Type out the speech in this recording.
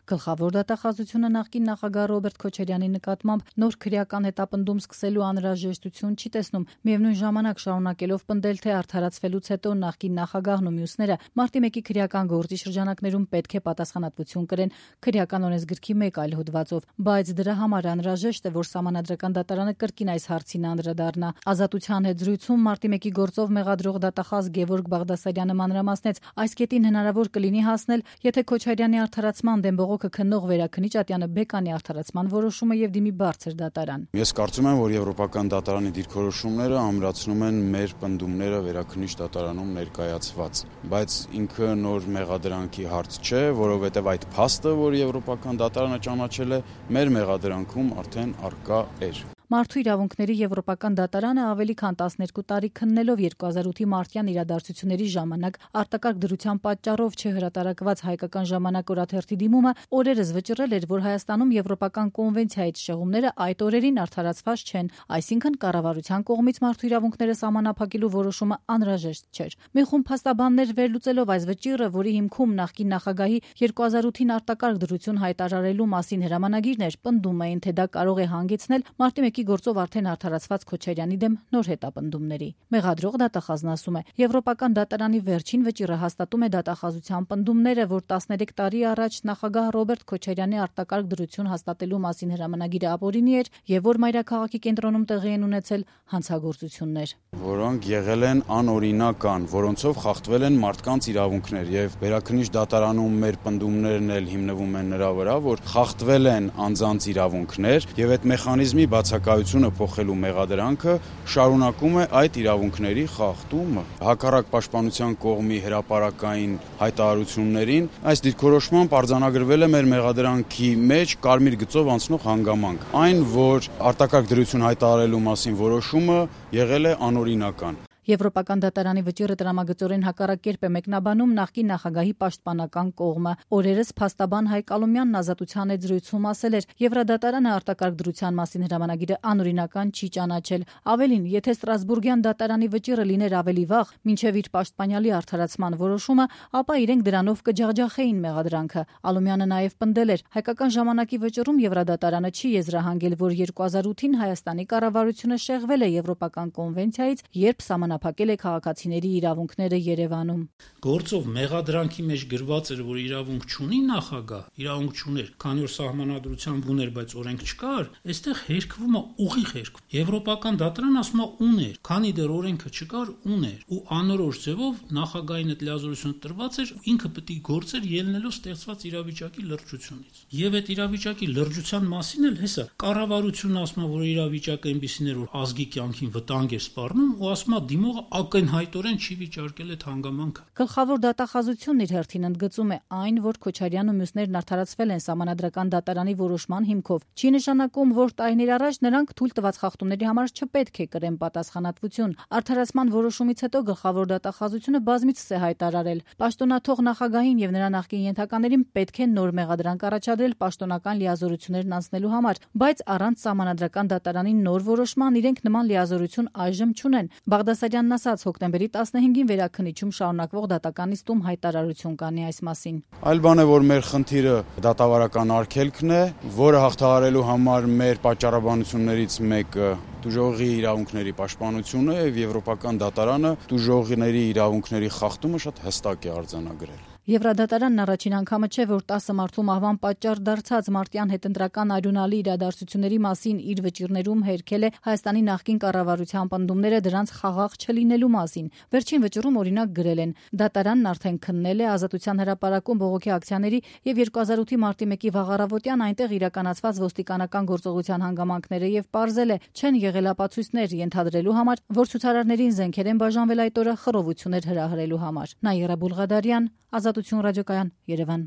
Գլխավոր դատախազությունը նախկին նախագահ Ռոբերտ Քոչարյանի նկատմամբ նոր քրեական հետապնդում սկսելու անհրաժեշտություն չի տեսնում, միևնույն ժամանակ շարունակելով պնդել, թե արդարացվելուց հետո նախկին նախագահն ու մյուսները մարտի 1-ի քրեական գործի շրջանակներում պետք է պատասխանատվություն կրեն քրեական օրենսգրքի մեկ այլ հոդվածով, բայց դրա համար անհրաժեշտ է, որ Սահմանադրական դատարանը կրկին այս հարցին անդրադառնա։ Ազատության հետ զրույցում մարտի 1-ի գործով մեղադրող դատախազ Գևորգ Բաղդասարյանը մանրամասնեց, այս կետին հնարավոր կլինի հասնել, եթե Քոչարյանի արդարացման դեմ բողոքը քննող վերաքննիչ Ատյանը Բեկանի արդարացման որոշումը եւ դիմի բարձր դատարան։ Ես կարծում եմ, որ Եվրոպական դատարանի դիրքորոշումները ամրացնում են մեր պնդումները վերաքննիչ դատարանում ներկայացված, բայց ինքը նոր մեղադրանքի հարց չէ, որովհետեւ այդ փաստը, որ Եվրոպական դատարանը ճանաչել է, մեր մեղադրանքում արդեն առկա էր։ Մարդու իրավունքների Եվրոպական դատարանը ավելի քան 12 տարի քննելով 2008-ի մարտյան իրադարձությունների ժամանակ արտակարգ դրության պատճառով չհրատարակված հայկական ժամանակ օրաթերթի դիմումը օրերս վճռել էր, որ Հայաստանում Եվրոպական կոնվենցիայից շեղումները այդ օրերին արդարացված չեն, այսինքն կառավարության կողմից մարդու իրավունքները սահմանափակելու որոշումը անհրաժեշտ չէր։ Մի խումբ փաստաբաններ վերլուծելով այս վճիռը, որի հիմքում նախկին նախագահի 2008-ին արտակարգ դրություն հայտարարելու մասին հրամանագիրն էր, պնդում էին, թե դա կարող է հանգեցնել մարտի գործով արդեն արդարացված Քոչարյանի դեմ նոր հետապնդումների։ Մեղադրող դատախազն ասում է, Եվրոպական դատարանի վերջին վճիռը հաստատում է դատախազության պնդումները, որ 13 տարի առաջ նախագահ Ռոբերտ Քոչարյանի արտակարգ դրություն հաստատելու մասին հրամանագիրը ապօրինի էր եւ որ մայրաքաղաքի կենտրոնում տեղի են ունեցել հանցագործություններ, որոնք եղել են անօրինական, որոնցով խախտվել են մարդկանց իրավունքներ եւ վերաքննիչ դատարանում մեր պնդումներն էլ հիմնվում են նրա վրա, որ խախտվել են անձանց իրավունքներ եւ այդ մեխանիզմի բացակայությունը փոխելու մեղադրանքը շարունակում է այդ իրավունքների խախտումը։ Հակառակ պաշտպանության կողմի հրապարակային հայտարարություններին այս դիրքորոշմամբ արձանագրվել է մեր մեղադրանքի մեջ կարմիր գծով անցնող հանգամանք, այն, որ արտակարգ դրություն հայտարարելու մասին որոշումը եղել է անօրինական։ Եվրոպական դատարանի վճիռը տրամագծորեն հակառակ կերպ է մեկնաբանում նախկին նախագահի պաշտպանական կողմը։ Օրերս փաստաբան Հայկ Ալոմյանն Ազատության հետ զրույցում ասել էր, Եվրադատարանը արտակարգ դրության մասին հրամանագիրը անօրինական չի ճանաչել։ Ավելին, եթե Ստրասբուրգյան դատարանի վճիռը լիներ ավելի վաղ, մինչև իր պաշտպանյալի արդարացման որոշումը, ապա իրենք դրանով կջախջախեին մեղադրանքը։ Ալոմյանը նաև պնդել էր, հայկական ժամանակի վճիռում Եվրադատարանը չի եզրահանգել, որ 2008-ին Հայաստանի կառավարությունը շեղվել է Եվրոպական կոնվենցիայից, երբ փակել է քաղաքացիների իրավունքները Երևանում։ Գործով մեղադրանքի մեջ գրված էր, որ իրավունք չունի նախագահ, իրավունք չուներ, քանի որ սահմանադրությամբ ուներ, բայց օրենք չկար, այստեղ հերկվում է ուղիղ հերկվում։ Եվրոպական դատարանը ասում է ուներ, քանի դեռ օրենքը չկար, ուներ, ու անորոշ ձևով նախագահին այդ լիազորությունը տրված էր, ինքը պետք է գործեր ելնելով ստեղծված իրավիճակի լրջությունից։ Եվ այդ իրավիճակի լրջության մասին էլ հեսա կառավարությունն ասում է, որ իրավիճակը այնպիսին էր, որ ազգի կյանքին վտանգ է սպառնում, ու ասում է դիմողը ակնհայտորեն չի վիճարկել այդ հանգամանքը։ Գլխավոր դատախազությունն իր հերթին ընդգծում է այն, որ Քոչարյանն ու մյուսներն արդարացվել են Սահմանադրական դատարանի որոշման հիմքով։ Չի նշանակում, որ տարիներ առաջ նրանք թույլ տված խախտումների համար չպետք է կրեն պատասխանատվություն։ Արդարացման որոշումից հետո գլխավոր դատախազությունը բազմիցս է հայտարարել, պաշտոնաթող նախագահին եւ նրա նախկին ենթականերին պետք է նոր մեղադրանք առաջադրել պաշտոնական լիազորություններն անցնելու համար, բայց առանց Սահմանադրական դատարանի նոր որոշման իրենք նման լիազորություն այժմ չունեն։ Բաղդասարյանն ասաց, հոկտեմբերի 15-ին վերաքննիչում շարունակվող դատական նիստում հայտարարություն կանի այս մասին։ Այլ բան է, որ մեր խնդիրը դատավարական արգելքն է, որը հաղթահարելու համար մեր պատճառաբանություններից մեկը տուժողի իրավունքների պաշտպանությունը եւ Եվրոպական դատարանը տուժողների իրավունքների խախտումը շատ հստակ է արձանագրել։ Եվրադատարանն առաջին անգամը չէ, որ 10 մարդու մահվան պատճառ դարձած մարտյան հետընտրական արյունալի իրադարձությունների մասին իր վճիռներում հերքել է Հայաստանի նախկին կառավարության պնդումները դրանց խաղաղ չլինելու մասին։ Վերջին վճիռում օրինակ գրել են. դատարանն արդեն քննել է Ազատության հրապարակում բողոքի ակցիաների եւ 2008-ի մարտի 1-ի վաղառավոտյան այնտեղ իրականացված ոստիկանական գործողության հանգամանքները եւ պարզել է, չեն եղել ապացույցներ ենթադրելու համար, որ ցուցարարներին զենքեր են բաժանվել այդ օրը խռովություններ հրահրելու համար։ Նաիրա Բուլղադարյան, Ազատություն ռադիոկայան, Երևան։